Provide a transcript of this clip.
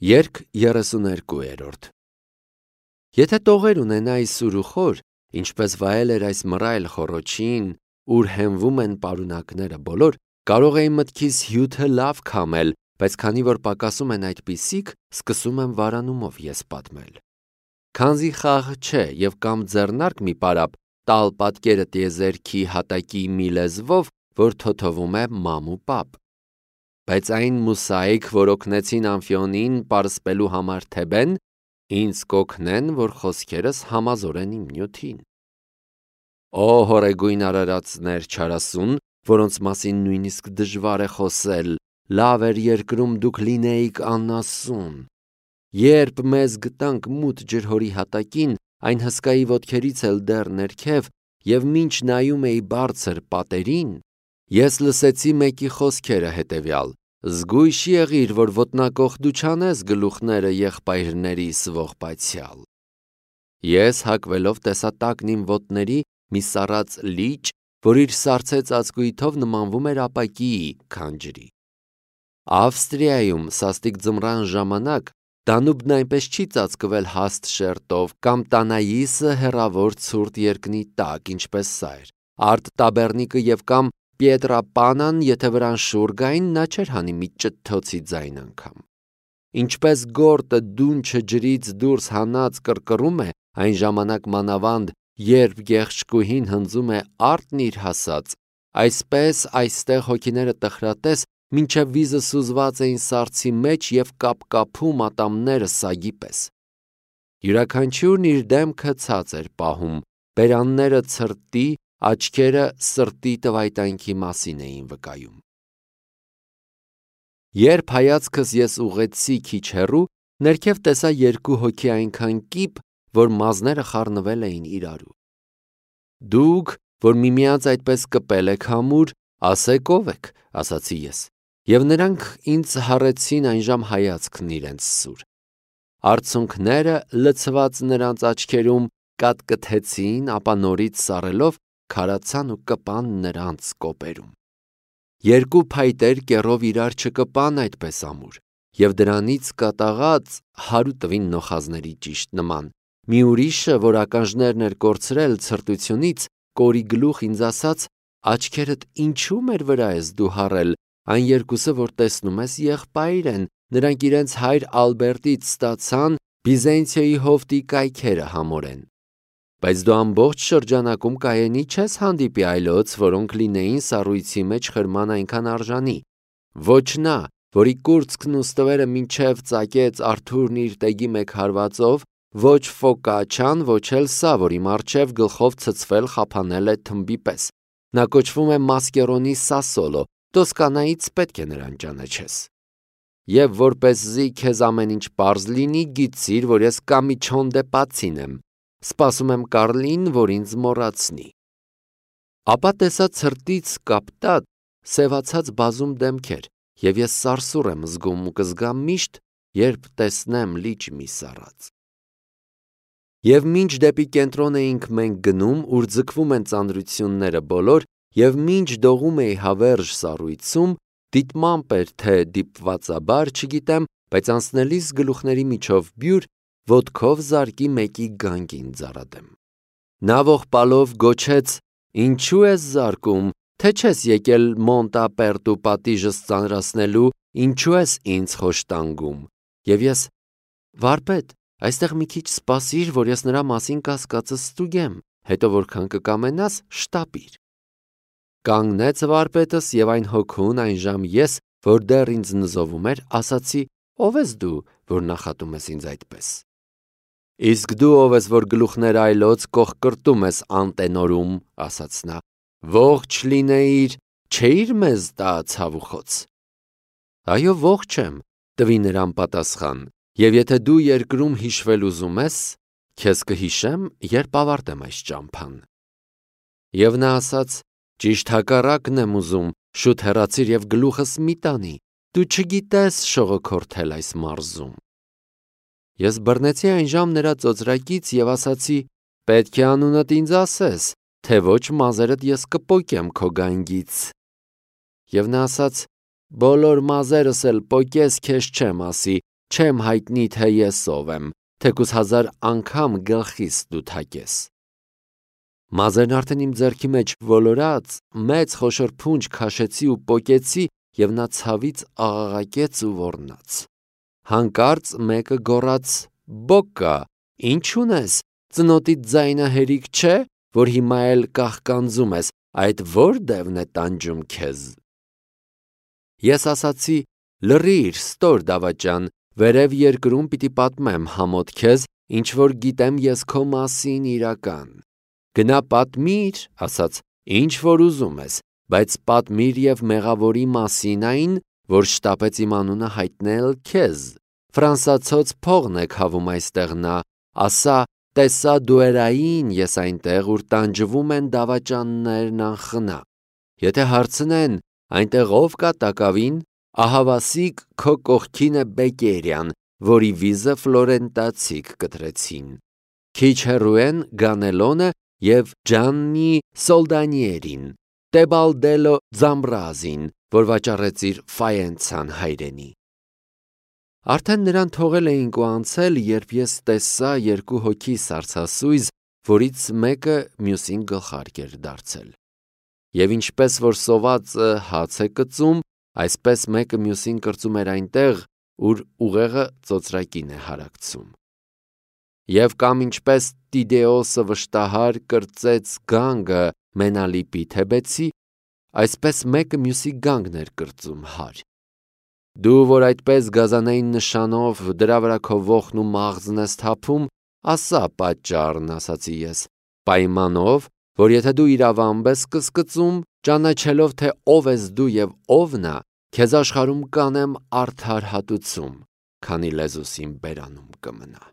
Երգ 32-րդ Եթե տողեր ունենայի սուր ու խոր, ինչպես վայել էր այս մռայլ խոռոչին, ուր հենվում են պարունակները բոլոր, կարող էի մտքիս հյութը լավ քամել, բայց քանի որ պակասում են այդպիսիք, սկսում եմ վարանումով ես պատմել։ Քանզի խաղ չէ և կամ ձեռնարկ մի պարապ տալ պատկերը տիեզերքի հատակի մի լեզվով, որ թոթովում է մամ ու պապ։ Բայց այն մուսայք, որ օգնեցին Ամֆիոնին պարսպելու համար Թեբեն, ինձ կօգնեն, որ խոսքերս համազորեն իմ նյութին։ Օ հորեգույն արարածներ չարասուն, որոնց մասին նույնիսկ դժվար է խոսել, լավ էր երկրում դուք լինեիք անասուն։ Երբ մեզ գտանք մութ ջրհորի հատակին, այն հսկայի ոտքերից էլ դեռ ներքև, և մինչ նայում էի բարձր պատերին, ես լսեցի մեկի խոսքերը հետևյալ. «Զգույշ եղիր, որ ոտնակոխ դու չանես գլուխները եղբայրներիս ողբացյալ»։ Ես հագվելով տեսա տակն իմ ոտների մի սառած լիճ, որ իր սառցե ծածկույթով նմանվում էր ապակիի քանջրի։ Ավստրիայում սաստիկ ձմռան ժամանակ Դանուբն այնպես չի ծածկվել հաստ շերտով կամ Տանայիսը հեռավոր ցուրտ երկնի տակ, ինչպես սա էր։ Արդ Տաբեռնիկը և կամ Պիետրապանան, եթե վրան շուռ գային, նա չէր հանի մի ճթթոցի ձայն անգամ։ Ինչպես գորտը դունչը ջրից դուրս հանած կռկռում է, այն ժամանակ մանավանդ, երբ գեղեցկուհին հնձում է արտն իր հասած, այսպես այստեղ հոգիները տխրատես, մինչև վիզը սուզված էին սառցի մեջ և կապկապում ատամները սագի պես։ Յուրաքանչյուրն իր դեմքը ցած էր պահում, բերանները ցրտի, աչքերը սրտի տվայտանքի մասին էին վկայում։ Երբ հայացքս ես ուղղեցի քիչ հեռու, ներքև տեսա երկու հոգի այնքան կիպ, որ մազները խառնվել էին իրարու։ Դուք, որ միմյանց այդպես կպել եք համուր, ասեք ով եք, ասացի ես, և նրանք ինձ հառեցին այնժամ հայացքն իրենց սուր։ Արցունքները լցված նրանց աչքերում կատկթեցին, ապա նորից սառելով քարացան ու կպան նրանց կոպերում։ Երկու փայտեր կեռով իրար չկպան այդպես ամուր, և դրանից կատաղած հարու տվին նոխազների ճիշտ նման։ Մի ուրիշը, որ ականջներն էր կորցրել ցրտությունից, կորի գլուխ ինձ ասաց. «Աչքերդ ինչու մեր վրա ես դու հառել, այն երկուսը, որ տեսնում ես, եղբայր են, նրանք իրենց հայր Ալբերտից ստացան Բիզենցիոյի հովտի կայքերը համորեն։ Բայց դու ամբողջ շրջանակում կայենի չես հանդիպի այլոց, որոնք լինեին սառույցի մեջ խրման այնքան արժանի։ Ոչ նա, որի կուրծքն ու ստվերը մինչև ծակեց Արթուրն իր տեգի մեկ հարվածով, ոչ Ֆոկաչան, ոչ էլ սա, որ իմ առջև գլխով ցցվել խափանել է թմբի պես։ Նա կոչվում է Մասկերոնի Սասոլո, Տոսկանայից պետք է նրան ճանաչես։ Եվ որպեսզի քեզ ամեն ինչ պարզ լինի, գիտիր, որ ես Կամիչոնդե Պացին եմ, սպասում եմ Կարլին, որ ինձ մոռացնի»։ Ապա տեսա ցրտից կապտած, սևացած բազում դեմքեր, և ես սարսուռ եմ զգում ու կզգամ միշտ, երբ տեսնեմ լիճ մի սառած։ Եվ մինչ դեպի կենտրոն էինք մենք գնում, ուր ձգվում են ծանրությունները բոլոր, և մինչ դողում էի հավերժ սառույցում, դիտմամբ էր թե դիպվածաբար, չգիտեմ, բայց անցնելիս գլուխների միջով բյուր, ոտքով զարկի մեկի գանգին ձառադեմ։ Նա ողբալով գոչեց. «Ինչու ես զարկում, թե չես եկել Մոնտապերտու պատիժս ծանրացնելու, ինչու ես ինձ խոշտանգում»։ Եվ ես. «Վարպետ, այստեղ մի քիչ սպասիր, որ ես նրա մասին կասկածս ստուգեմ, հետո որքան կկամենաս, շտապիր»։ Կանգնեց վարպետս, և այն հոգուն այնժամ ես, որ դեռ ինձ նզովում էր, ասացի. «Ո՞վ ես դու, որ նախատում ես ինձ այդպես»։ «Իսկ դու ով ես, որ գլուխներ այլոց կոխկրտում ես անտենորում», ասաց նա։ «Ողջ լինեիր, չէիր մեզ տա ցավուխոց»։ «Այո, ողջ եմ», տվի նրան պատասխան, «և եթե դու երկրում հիշվել ուզում ես, քեզ կհիշեմ, երբ ավարտեմ այս ճամփան»։ Եվ նա ասաց. «Ճիշտ հակառակն եմ ուզում, շուտ հեռացիր և գլուխս մի տանի, դու չգիտես շողոքորթել այս մարզում»։ Ես բռնեցի այնժամ նրա ծոծրակից և ասացի. «Պետք է անունդ ինձ ասես, թե ոչ մազերդ ես կպոկեմ քո գանգից»։ Եվ նա ասաց. «Բոլոր մազերս էլ պոկես, քեզ չեմ ասի, չեմ հայտնի, թե ես ով եմ, թեկուզ 1000 անգամ գլխիս դու թակես։ Մազերն արդեն իմ ձեռքի մեջ ոլորած, մեծ խոշոր փունջ քաշեցի ու պոկեցի, եւ նա ցավից աղաղակեց ու ոռնաց։ Հանկարծ մեկը գոռաց. «Բոկա, ինչ ունես, ծնոտիդ ձայնը հերիք չէ, որ հիմա էլ կաղկանձում ես, այդ որ դևն է տանջում քեզ»։ Ես ասացի. «Լռիր, ստոր դավաճան, վերև երկրում պիտի պատմեմ համոտ քեզ, ինչ որ գիտեմ ես քո մասին իրական»։ «Գնա պատմիր», ասաց, «ինչ որ ուզում ես, բայց պատմիր եւ մեղավորի մասին այն, որ շտապեց իմ անունը հայտնել քեզ։ Ֆրանսացոց փողն է քավում այստեղ նա, ասա, տեսա դուերային ես այնտեղ, ուր տանջվում են դավաճաններն անխնա։ Եթե հարցնեն, այնտեղ ով կա տակավին, ահավասիկ քո կողքին է Բեկերյան, որի վիզը ֆլորենտացիք կտրեցին։ Քիչ հեռու են Գանելոնը եւ Ջաննի Սոլդանիերին, Տեբալդելո Ձամբրազին, որ վաճառեց իր Ֆայենցան հայրենի»։ Արդեն նրան թողել էինք ու անցել, երբ ես տեսա երկու հոգի սառցասույզ, որից մեկը մյուսին գլխարկ էր դարձել։ Եվ ինչպես որ սովածը հաց է կծում, այսպես մեկը մյուսին կրծում էր այնտեղ, ուր ուղեղը ծոծրակին է հարակցում։ Եվ կամ ինչպես Տիդեոսը վշտահար կրծեց գանգը Մենալիպի Թեբեցի, այսպես մեկը մյուսի գանգն էր կրծում հար։ Դու որ այդպես գազանային նշանով դրա վրա քո ոխն ու մաղձն ես թափում, ասա պատճառն, ասացի ես, պայմանով, որ եթե դու իրավամբ ես կսկծում, ճանաչելով թե ով ես դու եւ ով նա, քեզ աշխարհում կանեմ արդար հատուցում, քանի լեզուս իմ բերանում կմնա։